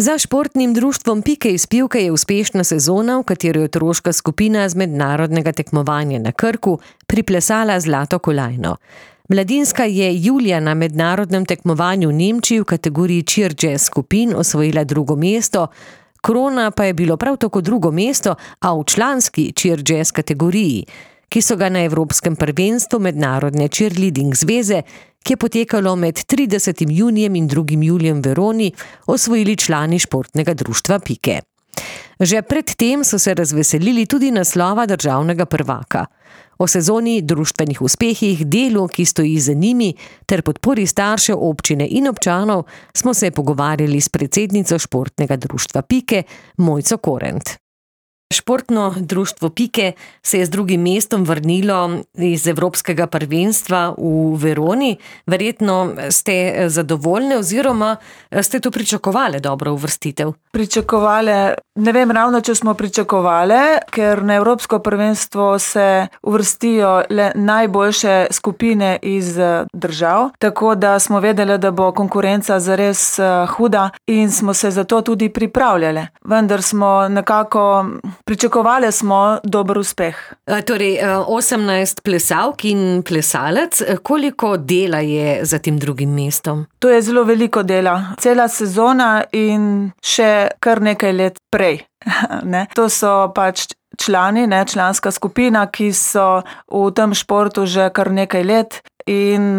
Za športnim društvom Pike iz Pivke je uspešna sezona, v kateri je otroška skupina z mednarodnega tekmovanja na Krku priplesala zlato kolajno. Mladinska je julija na mednarodnem tekmovanju v Nemčiji v kategoriji cheer jazz skupin osvojila drugo mesto, krona pa je bilo prav tako drugo mesto, a v članski cheer jazz kategoriji, ki so ga na Evropskem prvenstvu Mednarodne cheerleading zveze, ki je potekalo med 30. junijem in 2. julijem v Veroni, osvojili člani športnega društva Pike. Že pred tem so se razveselili tudi naslova državnega prvaka. O sezoni, društvenih uspehih, delu, ki stoji za njimi, ter podpori staršev, občine in občanov smo se pogovarjali s predsednico športnega društva Pike, Mojco Korent. Športno društvo Pike se je z drugim mestom vrnilo iz Evropskega prvenstva v Veroni. Verjetno ste zadovoljni oziroma ste to pričakovali dobro uvrstitev? Pričakovali, ne vem ravno, če smo pričakovali, ker na Evropsko prvenstvo se uvrstijo le najboljše skupine iz držav, tako da smo vedeli, da bo konkurenca zares huda in smo se za to tudi pripravljali. Vendar smo nekako pričakovali smo dober uspeh. Torej, 18 plesalk in plesalec, koliko dela je za tem drugim mestom? To je zelo veliko dela. Cela sezona in še kar nekaj let prej. To so pač člani, članska skupina, ki so v tem športu že kar nekaj let. In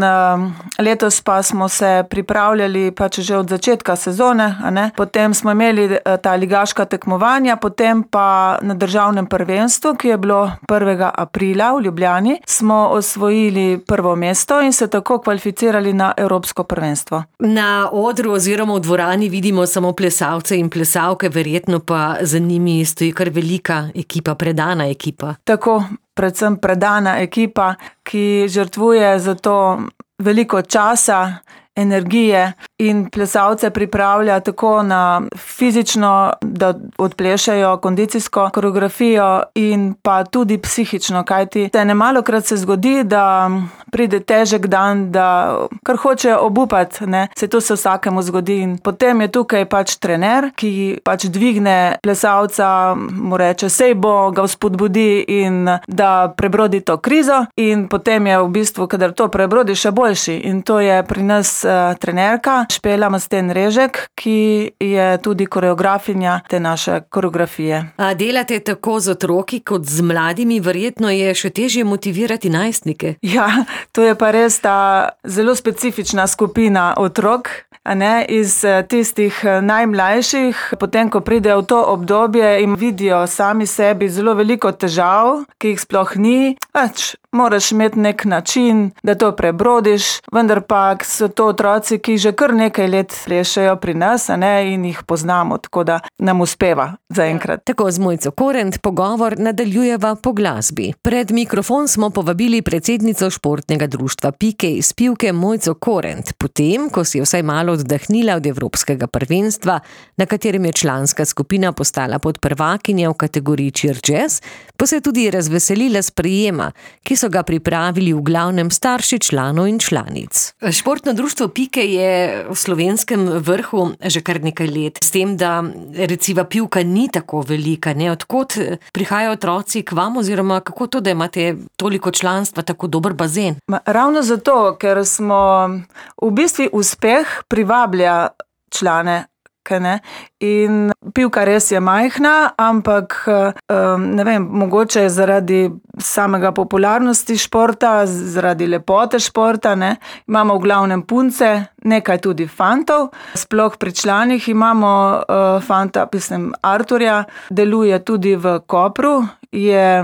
letos pa smo se pripravljali pač že od začetka sezone, Potem smo imeli ta ligaška tekmovanja, potem pa na državnem prvenstvu, ki je bilo 1. aprila v Ljubljani, smo osvojili prvo mesto in se tako kvalificirali na Evropsko prvenstvo. Na odru oziroma v dvorani vidimo samo plesalce in plesalke, verjetno pa za njimi stoji kar velika ekipa, predana ekipa. Tako, predvsem predana ekipa, ki žrtvuje za to veliko časa, energije in plesalce pripravlja tako na fizično, da odplešajo kondicijsko koreografijo in pa tudi psihično, kajti nemalokrat se zgodi, da pride težek dan, da kar hoče obupati, Se to se vsakemu zgodi in potem je tukaj pač trener, ki pač dvigne plesalca, mu reče, sej bo, ga vzpodbudi in da prebrodi to krizo in potem je v bistvu, kadar to prebrodi, še boljši in to je pri nas trenerka Špela Masten Režek, ki je tudi koreografinja te naše koreografije. A delate tako z otroki kot z mladimi, verjetno je še težje motivirati najstnike. Ja, to je pa res ta zelo specifična skupina otrok, iz tistih najmlajših, potem ko pridejo v to obdobje in vidijo sami sebi zelo veliko težav, ki jih sploh ni, moraš imeti nek način, da to prebrodiš, vendar pa so to otroci, ki že kar nekaj let plešejo pri nas, in jih poznamo, tako da nam uspeva zaenkrat. Tako z Mojco Korent pogovor nadaljujeva po glasbi. Pred mikrofon smo povabili predsednico športnega društva Pike iz Pivke Mojco Korent, potem, ko si je vsaj malo oddahnila od Evropskega prvenstva, na katerem je članska skupina postala podprvakinja v kategoriji cheer jazz, pa se je tudi razveselila sprejema, ki so ga pripravili v glavnem starši članov in članic. Športno društvo Pike je v slovenskem vrhu že kar nekaj let. S tem, da reciva Pivka ni tako velika, Odkot prihajajo otroci k vam oziroma kako to, da imate toliko članstva, tako dober bazen? Ravno zato, ker smo v bistvu uspeh privablja člane. In Pivka res je majhna, ampak ne vem, mogoče zaradi samega popularnosti športa, zaradi lepote športa, imamo v glavnem punce, nekaj tudi fantov. Sploh pri članih imamo fanta, Arturja, deluje tudi v Kopru, je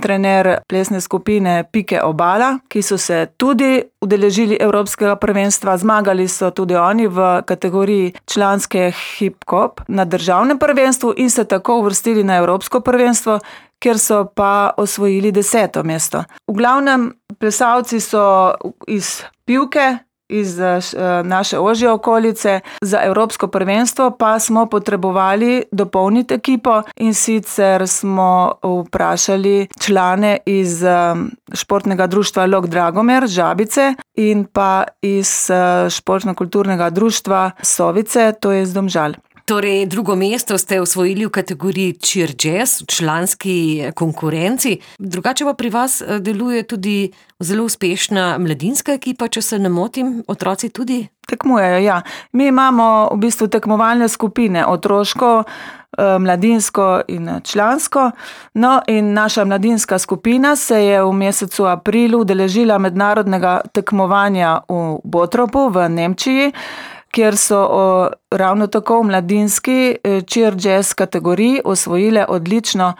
trener plesne skupine Pike Obala, ki so se tudi udeležili Evropskega prvenstva, zmagali so tudi oni v kategoriji članske hip-hop na državnem prvenstvu in se tako uvrstili na Evropsko prvenstvo, kjer so pa osvojili 10. mesto. V glavnem plesalci so iz Pivke, iz naše ožje okolice. Za Evropsko prvenstvo pa smo potrebovali dopolniti ekipo in sicer smo vprašali člane iz športnega društva Lok Dragomer, Žabice, in pa iz športno-kulturnega društva Sovice, to je iz Domžal. Torej, drugo mesto ste osvojili v kategoriji Cheer Jazz, v članski konkurenci. Drugače pa pri vas deluje tudi zelo uspešna mladinska ekipa, če se ne motim, otroci tudi? Tekmujejo, ja. Mi imamo v bistvu tekmovalne skupine, otroško, mladinsko in člansko. No, in naša mladinska skupina se je v mesecu aprilu udeležila mednarodnega tekmovanja v Bottropu v Nemčiji, kjer so ravno tako v mladinski cheer jazz kategoriji osvojile odlično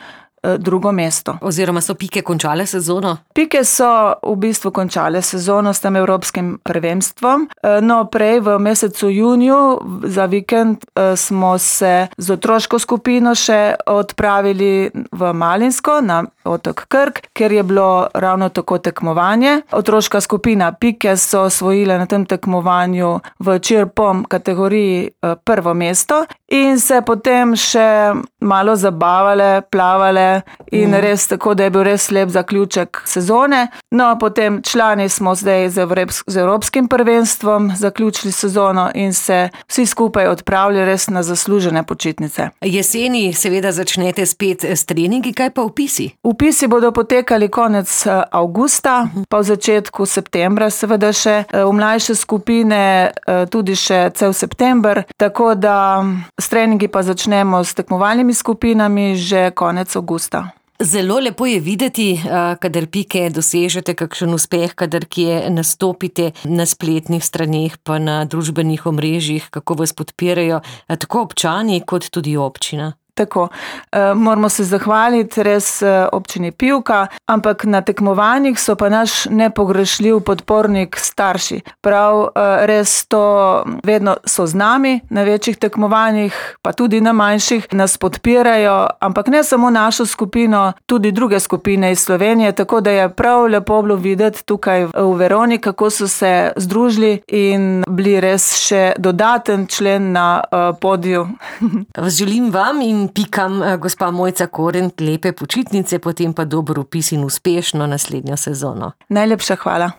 drugo mesto. Oziroma so Pike končale sezono? Pike so v bistvu končale sezono s tem evropskim prvenstvom. No, prej v mesecu juniju za vikend smo se z otroško skupino še odpravili v Malinsko na otok Krk, kjer je bilo ravno tako tekmovanje. Otroška skupina Pike so osvojile na tem tekmovanju v cheer pom kategoriji prvo mesto in se potem še malo zabavale, plavale in res tako, da je bil res lep zaključek sezone. No, potem člani smo zdaj z evropskim prvenstvom zaključili sezono in se vsi skupaj odpravili res na zaslužene počitnice. Jeseni seveda začnete spet s treningi, kaj pa vpisi? Vpisi bodo potekali konec avgusta, pa v začetku septembra seveda še, v mlajše skupine tudi še cel september, tako da s treningi pa začnemo s tekmovalnimi skupinami že konec avgusta. Zelo lepo je videti, kadar Pike dosežete kakšen uspeh, kadar kje nastopite na spletnih straneh pa na družbenih omrežjih, kako vas podpirajo tako občani kot tudi občina. Tako, moramo se zahvaliti res občini Pivka, ampak na tekmovanjih so pa naš nepogrešljiv podpornik starši. Prav res to vedno so z nami na večjih tekmovanjih, pa tudi na manjših, nas podpirajo, ampak ne samo našo skupino, tudi druge skupine iz Slovenije, tako da je prav lepo bilo videti tukaj v Veroni, kako so se združili in bili res še dodaten člen na podiju. Želim vam in Pikam, gospa Mojca Korent, lepe počitnice, potem pa dober vpis in uspešno naslednjo sezono. Najlepša hvala.